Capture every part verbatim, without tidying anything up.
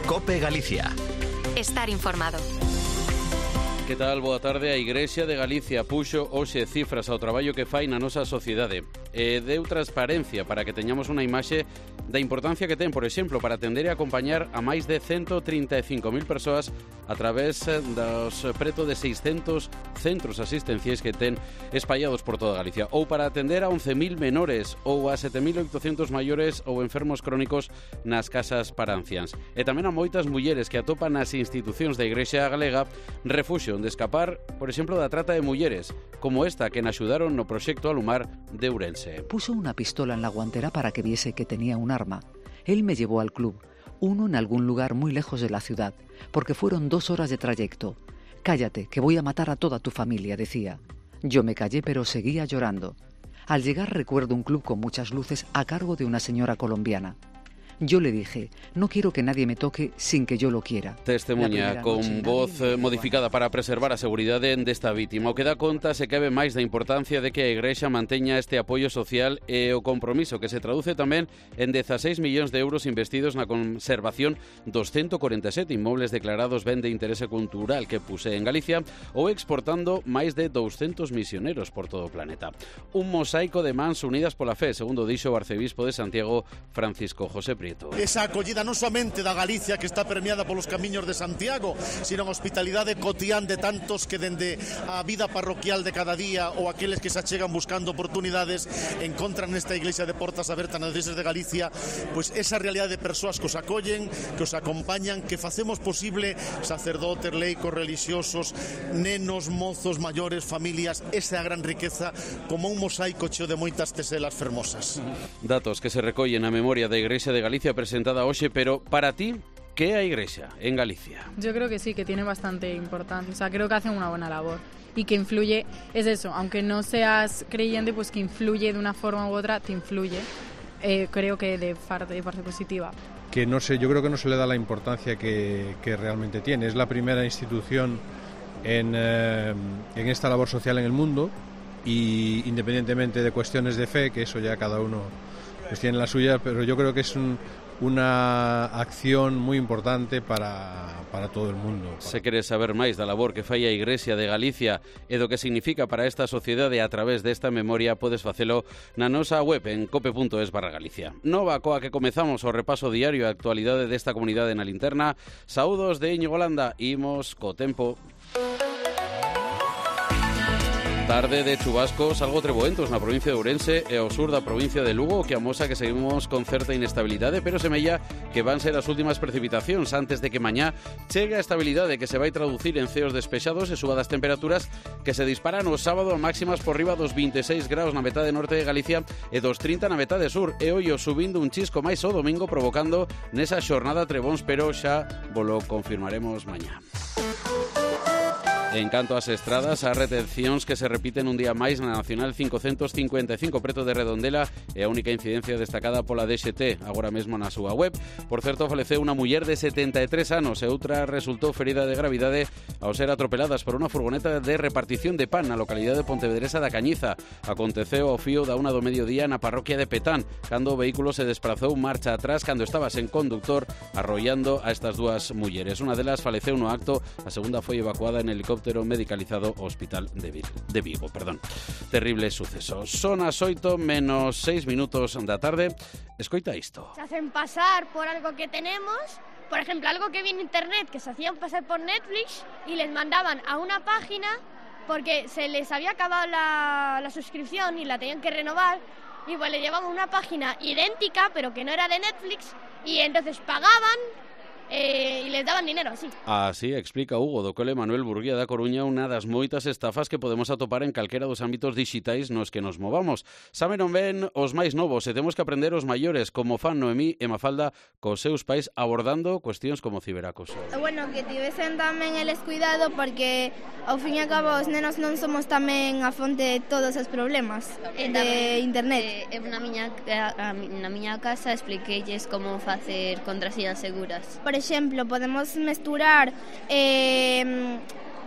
COPE Galicia. Estar informado. Que tal? Boa tarde. A Igrexa de Galicia puxo hoxe cifras ao traballo que fai na nosa sociedade. E deu transparencia para que teñamos unha imaxe da importancia que ten, por exemplo, para atender e acompañar a máis de ciento trinta e cinco mil persoas a través dos preto de seiscentos centros asistenciais que ten espallados por toda Galicia, ou para atender a once mil menores ou a sete mil oitocentos maiores ou enfermos crónicos nas casas para anciáns. E tamén a moitas mulleres que atopan nas institucións da Igrexa Galega refuxio de escapar, por exemplo, da trata de mulleres, como esta que nos axudaron no proxecto Alumar de Ourense. Puso una pistola en la guantera para que viese que tenía un arma. Él me llevó al club, uno en algún lugar muy lejos de la ciudad, porque fueron dos horas de trayecto. Cállate, que voy a matar a toda tu familia, decía. Yo me callé, pero seguía llorando. Al llegar recuerdo un club con muchas luces a cargo de una señora colombiana. Yo le dije, no quiero que nadie me toque sin que yo lo quiera. Testemunha con voz modificada para preservar a seguridade desta vítima. O que dá conta se cabe máis da importancia de que a Igrexa manteña este apoio social e o compromiso que se traduce tamén en dezaseis millóns de euros investidos na conservación dos ciento cuarenta e sete inmobles declarados ben de interese cultural que puse en Galicia ou exportando máis de douscentos misioneros por todo o planeta. Un mosaico de mans unidas pola fe, segundo dixo o arcebispo de Santiago, Francisco José Prieto. Esa acollida non somente da Galicia que está permeada polos camiños de Santiago, sino a hospitalidade cotián de tantos que dende a vida parroquial de cada día ou aqueles que se achegan buscando oportunidades encontran nesta iglesia de portas abertas nas iglesias de Galicia, pois esa realidade de persoas que os acollen, que os acompañan, que facemos posible sacerdotes, leicos, religiosos, nenos, mozos, maiores, familias, esa é a gran riqueza, como un mosaico cheo de moitas teselas fermosas. Datos que se recollen na memoria da Igrexa de Galicia presentada hoxe, pero para ti, ¿qué é a Igrexa en Galicia? Yo creo que sí, que tiene bastante importancia, o sea, creo que hacen una buena labor y que influye, es eso, aunque no seas creyente, pues que influye de una forma u otra, te influye, eh, creo que de parte, de parte positiva. Que no sé, yo creo que no se le da la importancia que, que realmente tiene. Es la primera institución en, eh, en esta labor social en el mundo y independientemente de cuestiones de fe, que eso ya cada uno pues tiene la suya, pero yo creo que es un, una acción muy importante para, para todo el mundo. Se quere saber máis da labor que fai a Igrexa de Galicia e do que significa para esta sociedade a través desta memoria, podes facelo na nosa web en cope punto es barra Galicia. Nova coa que comezamos o repaso diario a actualidade desta comunidade na linterna. Saúdos de Íñigo Landa, imos co tempo. Tarde de chubascos algo treboentos na provincia de Ourense e ao sur da provincia de Lugo, que amosa que seguimos con certa inestabilidade, pero semella que van ser as últimas precipitacións antes de que mañá chegue a estabilidade que se vai traducir en ceos despexados e suba das temperaturas que se disparan o sábado a máximas por riba dos vinte e seis graus na metade norte de Galicia e dos trinta na metade sur, e ollo subindo un chisco máis o domingo provocando nesa xornada trebóns, pero xa volo confirmaremos mañá. En canto ás estradas, as retencións que se repiten un día máis na Nacional cincocentos cincuenta e cinco preto de Redondela é a única incidencia destacada pola D X T, agora mesmo na súa web. Por certo, faleceu unha muller de setenta e tres anos e outra resultou ferida de gravidade ao ser atropeladas por unha furgoneta de repartición de pan na localidade pontevedresa da Cañiza. Aconteceu ao fío da una do mediodía na parroquia de Petán, cando o vehículo se desprazou marcha atrás cando estaba sen conductor, arrollando a estas dúas mulleres. Unha delas faleceu no acto, a segunda foi evacuada en helicóptero medicalizado ao Hospital de Vigo. De Vigo, perdón. Terrible suceso. Son as oito menos seis minutos da tarde. Escoita isto. Se hacen pasar por algo que tenemos, por ejemplo, algo que vi en internet, que se hacían pasar por Netflix y les mandaban a una página porque se les había acabado la, la suscripción y la tenían que renovar, y pues le llevaban una página idéntica pero que no era de Netflix, y entonces pagaban Eh, e les daban dinero, así. Así explica Hugo do Cole Manuel Burguía da Coruña unha das moitas estafas que podemos atopar en calquera dos ámbitos dixitais nos que nos movamos. Saben non ven os máis novos e temos que aprender os maiores, como fan Noemí e Mafalda cos seus pais abordando cuestións como ciberacoso. Bueno, que tivesen tamén eles cuidado, porque ao fin e a cabo os nenos non somos tamén a fonte de todos os problemas de tamén, internet. Eh, na, miña, na miña casa expliqueilles como facer contraseñas seguras. Por exemplo, podemos mesturar eh,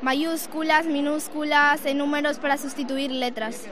mayúsculas, minúsculas e números para sustituir letras.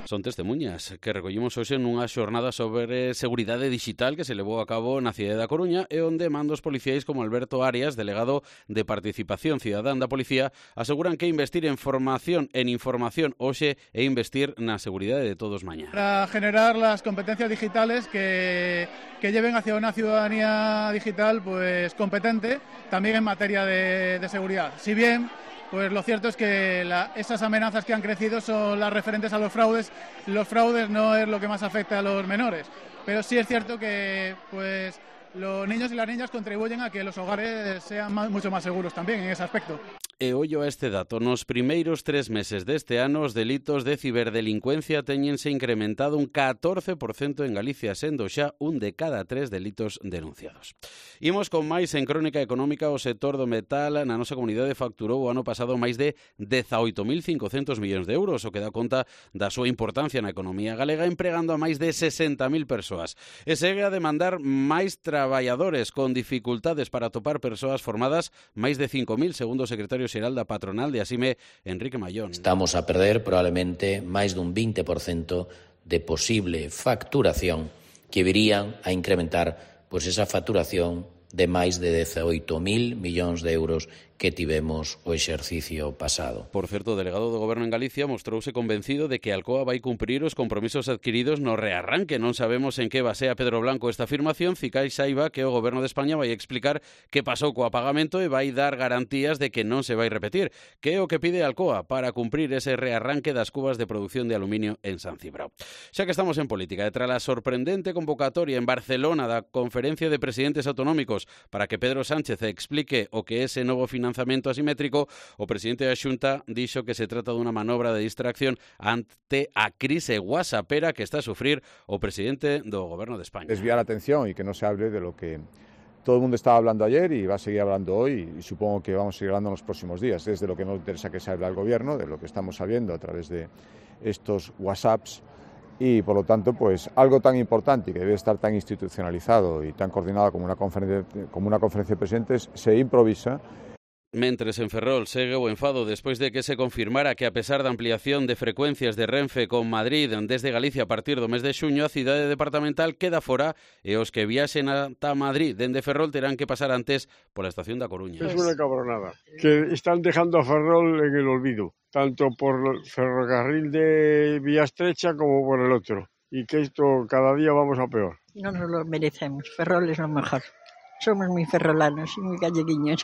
Son testemunhas que recollimos hoxe nunha xornada sobre seguridade digital que se levou a cabo na cidade da Coruña e onde mandos policiais como Alberto Arias, delegado de Participación Cidadán da Policía, aseguran que investir en formación, en información hoxe e investir na seguridade de todos mañá. Para generar las competencias digitales que, que lleven hacia una ciudadanía digital pues competente también en materia de, de seguridad. Si bien pues lo cierto es que la, esas amenazas que han crecido son las referentes a los fraudes. Los fraudes no es lo que más afecta a los menores, pero sí es cierto que pues los niños y las niñas contribuyen a que los hogares sean más, mucho más seguros también en ese aspecto. E ollo a este dato, nos primeiros tres meses deste ano os delitos de ciberdelincuencia teñense incrementado un catorce por cento en Galicia, sendo xa un de cada tres delitos denunciados. Imos con máis en crónica económica. O sector do metal na nosa comunidade facturou o ano pasado máis de dezaoito mil cincocentos millóns de euros, o que dá conta da súa importancia na economía galega, empregando a máis de sesenta mil persoas. E segue a demandar máis traballadores con dificultades para atopar persoas formadas, máis de cinco mil, segundo o secretario xeral da patronal de Asime, Enrique Mayón. Estamos a perder probablemente máis dun vinte por cento de posible facturación que virían a incrementar pois esa facturación de máis de dezaoito mil millóns de euros que tivemos o exercicio pasado. Por certo, o delegado do Goberno en Galicia mostrouse convencido de que Alcoa vai cumprir os compromisos adquiridos no rearranque. Non sabemos en que basea Pedro Blanco esta afirmación. Cicai saiba que o Goberno de España vai explicar que pasou co apagamento e vai dar garantías de que non se vai repetir. Que é o que pide Alcoa para cumprir ese rearranque das cubas de produción de aluminio en San Cibrao. Xa que estamos en política, e tras a sorprendente convocatoria en Barcelona da Conferencia de Presidentes Autonómicos para que Pedro Sánchez explique o que é ese novo financiamento financiamento asimétrico, o presidente da Xunta dixo que se trata dunha manobra de distracción ante a crise whatsappera que está a sufrir o presidente do Goberno de España. Desviar la atención y que no se hable de lo que todo el mundo estaba hablando ayer y va a seguir hablando hoy, y supongo que vamos a seguir hablando en los próximos días. Es de lo que no interesa que se hable al Gobierno, de lo que estamos sabiendo a través de estos WhatsApps, y por lo tanto pues algo tan importante y que debe estar tan institucionalizado y tan coordinado como una conferencia, como una conferencia de presidentes se improvisa. Mentres en Ferrol segue o enfado despois de que se confirmara que a pesar da ampliación de frecuencias de Renfe con Madrid desde Galicia a partir do mes de xuño, a cidade departamental queda fora e os que viaxen ata Madrid dende Ferrol terán que pasar antes pola estación da Coruña. Es una cabronada, que están dejando a Ferrol en el olvido, tanto por el ferrocarril de vía estrecha como por el otro, y que esto cada día vamos a peor. No nos lo merecemos, Ferrol es lo mejor, somos muy ferrolanos y muy galleguiños.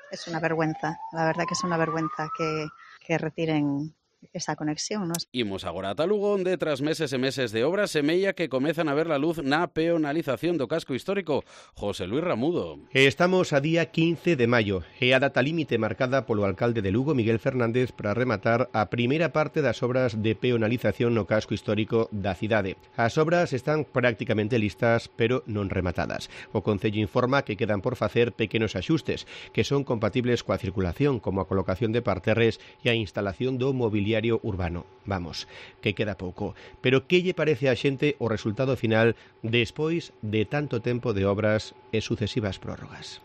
Es una vergüenza, la verdad que es una vergüenza que, que retiren esa conexión, ¿no? Imos agora ata Lugo, onde tras meses e meses de obras semella que comezan a ver la luz na peonalización do casco histórico. José Luis Ramudo. Estamos a día quince de maio e a data límite marcada polo alcalde de Lugo, Miguel Fernández, para rematar a primeira parte das obras de peonalización no casco histórico da cidade. As obras están prácticamente listas, pero non rematadas. O Concello informa que quedan por facer pequenos axustes, que son compatibles coa circulación, como a colocación de parterres e a instalación do mobiliario urbano. Vamos, que queda pouco. Pero que lle parece a xente o resultado final despois de tanto tempo de obras e sucesivas prórrogas?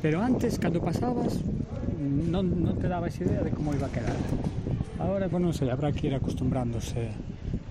Pero antes, cando pasabas, non, non te dabas idea de como iba a quedar. Ahora, pues non sei, habrá que ir acostumbrándose.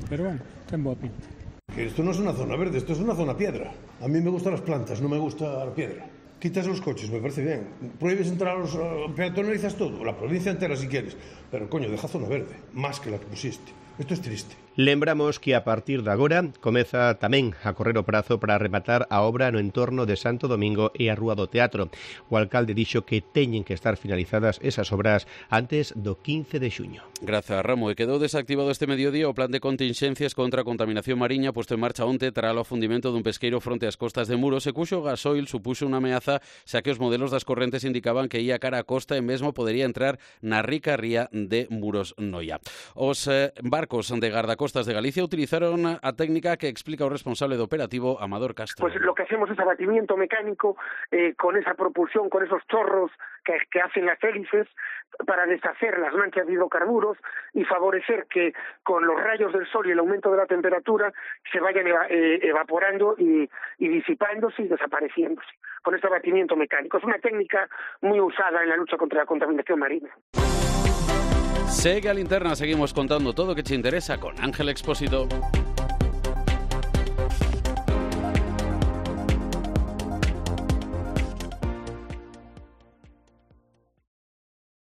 Pero bueno, ten boa pinta. Que esto no es una zona verde, esto es una zona piedra. A mí me gustan las plantas, no me gusta la piedra. Quitas los coches, me parece bien. Prohíbes entrar a los... peatonalizas todo, la provincia entera si quieres. Pero, coño, deja zona verde, más que la que pusiste. Esto es triste. Lembramos que a partir de agora comeza tamén a correr o prazo para rematar a obra no entorno de Santo Domingo e a Rúa do Teatro. O alcalde dixo que teñen que estar finalizadas esas obras antes do quince de xuño. Grazas, Ramo. E quedou desactivado este mediodía o plan de contingencias contra a contaminación mariña posto en marcha onte tras o afundimento dun pesqueiro fronte ás costas de Muros, e cuxo gasoil supuxo unha ameaza, xa que os modelos das correntes indicaban que ia cara a costa e mesmo podería entrar na rica ría de Muros Noia. Os eh, barcos de gardacostas de Galicia utilizaron a técnica que explica o responsable de operativo, Amador Castro. Pues lo que hacemos es abatimiento mecánico eh, con esa propulsión, con esos chorros que, que hacen las hélices para deshacer las manchas de hidrocarburos y favorecer que con los rayos del sol y el aumento de la temperatura se vayan eva, eh, evaporando y, y disipándose y desapareciéndose con este abatimiento mecánico. Es una técnica muy usada en la lucha contra la contaminación marina. Segue a Linterna, seguimos contando todo que te interesa con Ángel Expósito.